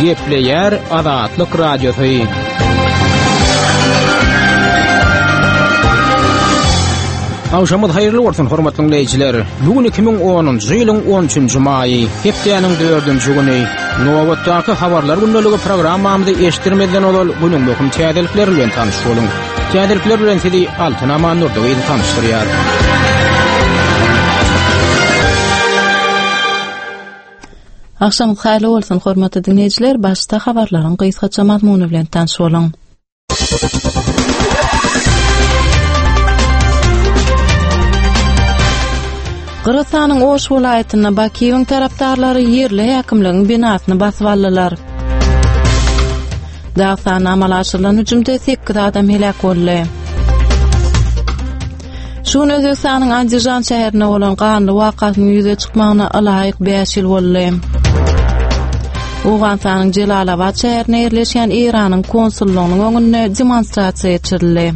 Gepleýär Azatlyk Radiosy. Agşamyz haýyrly bolsun, hormatly diňleýjiler. Bu gün 2010-njy ýylyň 13-nji maýy, hepdäniň 4-nji güni. Nobatdaky habarlar gündeligi programmamyzy eşitdirmezden ozal günüň möhüm täzelikleri bilen tanyş boluň. Täzelikler bilen sizi Altyn Amandurdy gyzy tanyşdyrýar. Agşamyňyz haýyrly bolsun, hormatly diňleýjiler, başda habarlaryň gysgaça mazmuny bilen tanyş boluň. Gyrgyzystanyň Oş welaýatynda Bakiýewiň tarapdarlary ýerli häkimligiň binasyny basyp aldylar. Dagystanda amala aşyrylan hüjümde 8 adam heläk boldy. Şu gün Özbegistanyň Andijan şäherinde bolan ganly wakasynyň ýüze çykmagyna ylaýyk 5 ýyl boldy. Owganystanyň Jelalabat şäherinde ýerleşýän Eýranyň konsullygynyň öňünde demonstrasiýa geçirildi.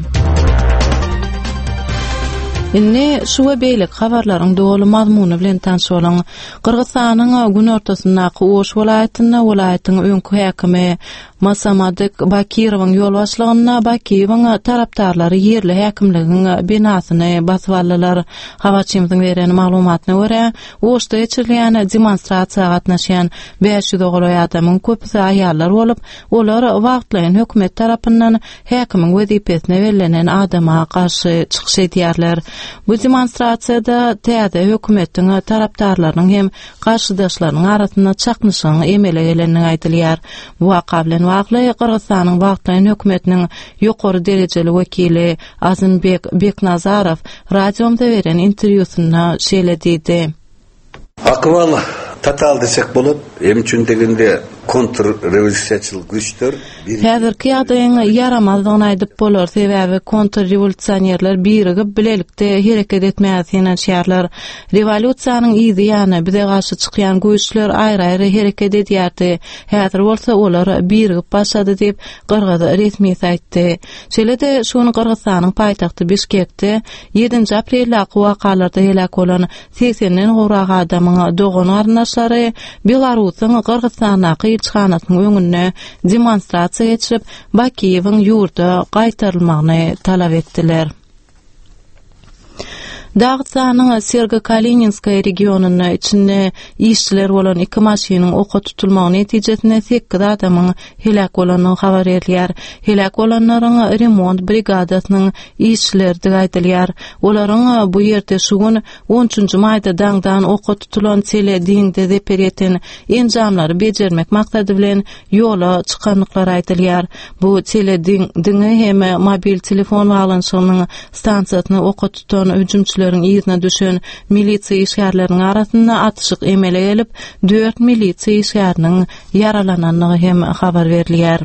Indi şu we beýleki habarlaryň doly mazmuny bilen tanyş boluň. Gyrgyzystanyň günortasyndaky Oş welaýatynda welaýatyň öňki häkimi Masamadyk Bakirowyň ýolbaşçylygynda Bakiýewiň tarapdarlary ýerli häkimligiň binasyny basyp aldylar. Habarçymyzyň beren maglumatyna görä, Oşda geçirilýän demonstrasiýa gatnaşýan 500-e golaý adamyň köpüsi aýallar bolup, olar wagtlaýyn hökümet tarapyndan häkimiň wezipesine bellenen adama garşy çykyş edýärler. Bu demonstrasiýada täze hökümetiň tarapdarlarynyň hem garşydaşlarynyň arasynda çaknyşygyň emele gelendigi aýdylýar. Bu waka bilen bagly Gyrgyzystanyň wagtlaýyn hökümetiniň ýokary derejeli wekili Azymbek Beknazarow radiomyza beren interwýusynda şeýle diýdi. Akybal total desek bolat, em üçin degende kontrrewolýusiýaçyl güýçler bir. Häzirki ýagdaýyň ýaramazdygyny aýdyp bolar, sebäbi kontrrewolýusionerler birigip, bilelikde hereket etmäge synanyşýarlar. Rewolýusiýanyň yzy ýany, bize garşy çykýan güýçler aýry-aýry hereket edýärdi, häzir bolsa olar birigip başlady diýip, gyrgyz resmisi aýtdy. Şeýle-de, şu gün Gyrgyzystanyň paýtagty Bişkekde ýedinji apreldäki wakalarda heläk bolan segsenden gowrak adamyň dogan-garyndaşlary Belarusyň Gyrgyzystandaky ilçihanasynyň öňünde demonstrasiýa geçirip, Bakiýewiň ýurda gaýtarylmagyny talap etdiler. Dagystanyň Sergo-Kalininskaý regionynda içinde işçiler bolan iki maşynyň oka tutulmagy netijesinde sekiz adamyň heläk bolandygy habar berilýär. Heläk bolanlaryň remont brigadasynyň işçileridigi aýdylýar. Olaryň bu ýerde şu gün on üçünji maýda daňdan oka tutulan tele diňde zeper ýeten enjamlary bejermek maksady bilen ýola çykandyklary aýdylýar. Bu tele diňi hem mobil telefon baglanyşygynyň stansiýasyny oka tutan hüjümçileriň yzyna düşen milisiýa işgärleriniň arasynda atyşyk emele gelip, dört milisiýa işgäriniň ýaralanandygy hem habar berilýär.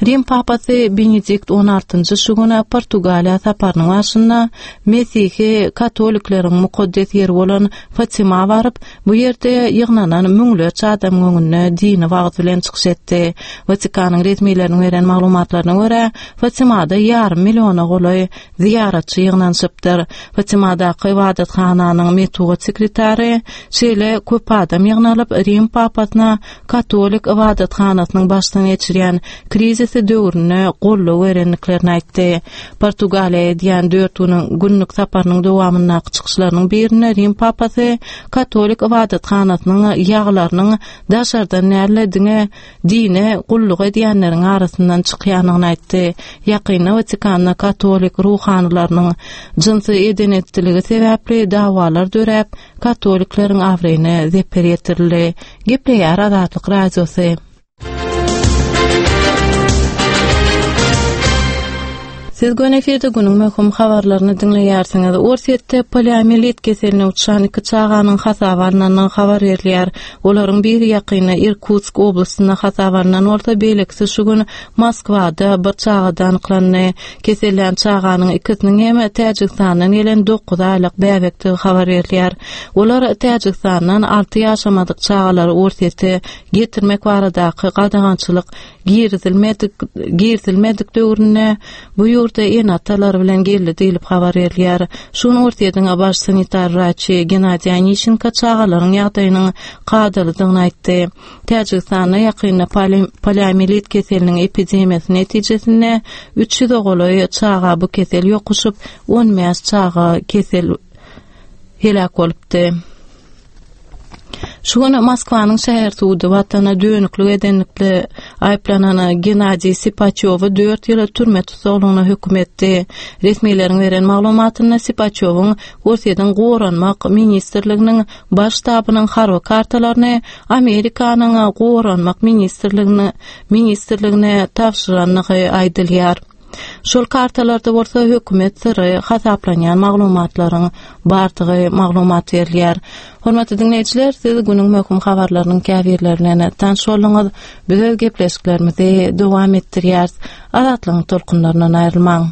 Rim papasy Benedikt on altynjy şu gün Portugaliýa saparynyň barşynda mesihi katolikleriň mukaddes ýeri bolan Fatima baryp, bu ýerde ýygnanan müňlerçe adamyň öňünde dini wagyz bilen çykyş etdi. Watikanyň resmileriniň beren maglumatlaryna görä, Fatimada ýarym milliona golaý zyýaratçy ýygnanyşypdyr. Fatimadaky ybadathananyň metbugat sekretary şeýle köp adam ýygnalyp, Rim papasyna katolik ybadathanasynyň başdan geçirýän krizisi döwründe goldaw berendiklerini aýtdy. Portugaliýa edýän dört günüň günlük saparynyň dowamyndaky çykyşlarynyň birinde Rim papasy katolik ybadathanasynyň ýagylarynyň daşardan däl-de, diňe dine gulluk edýänleriň arasyndan çykýandygyny aýtdy. Ýakynda Watikanda katolik ruhanylarynyň jynsy eden-etdiligi sebäpli dawalar döräp, katolikleriň abraýyna zeper ýetirildi. Gepleýär Azatlyk Radiosy. Siz göni efirde günüň möhüm habarlaryny diňleýärsiňiz. Orsýetde poliomiýelit keseline uçran iki çaganyň hasaba alnandygy habar berilýär. Olaryň biri ýakynda Irkutsk oblastynda hasaba alnan bolsa, beýlekisi şu gün Moskwada bir çagada anyklandy. Kesellän çaganyň ikisiniň hem Täjigistandan gelen dokuz aýlyk bäbekdigi habar berilýär. Olar Täjigistandan alty ýaşamadyk çagalary Orsýete getirmek baradaky gadagançylyk girizilmedik girizilmedik döwründe bu ýurda. ýurda ene-atalary bilen geldi diýlip habar berilýär. Şu gün Orsýetiň baş sanitar wraçy Gennadiý Oniçenko çagalaryň ýagdaýynyň kadalydygyny aýtdy. Täjigistanda ýakynda poliomiýelit keseliniň epidemiýasy netijesinde 300-e golaý çaga bu kesel ýokuşyp, 15 çaga kesel heläk bolupdy. Şu gün Moskwanyň şäher sudy watana dönüklik edenlikde aýyplanan Gennadiý Sipaçýowy dört ýyla türme tussaglygyna höküm etdi. Resmileriň beren maglumatynda Sipaçýowyň Orsýetiň Goranmak ministrliginiň Baş ştabynyň harby kartalaryny Amerikanyň Goranmak ministrligine ministrligine tabşyrandygy aýdylýar. Şol kartalarda bolsa hökümet syry hasaplanýan maglumatlaryň bardygy maglumat berilýär. Hormatly diňleýjiler, siz günüň möhüm habarlarynyň käbirleri bilen tanyş bolduňyz. Biz öz gepleşiklerimizi dowam etdirýäris. Azatlygyň tolkunlaryndan aýrylmaň.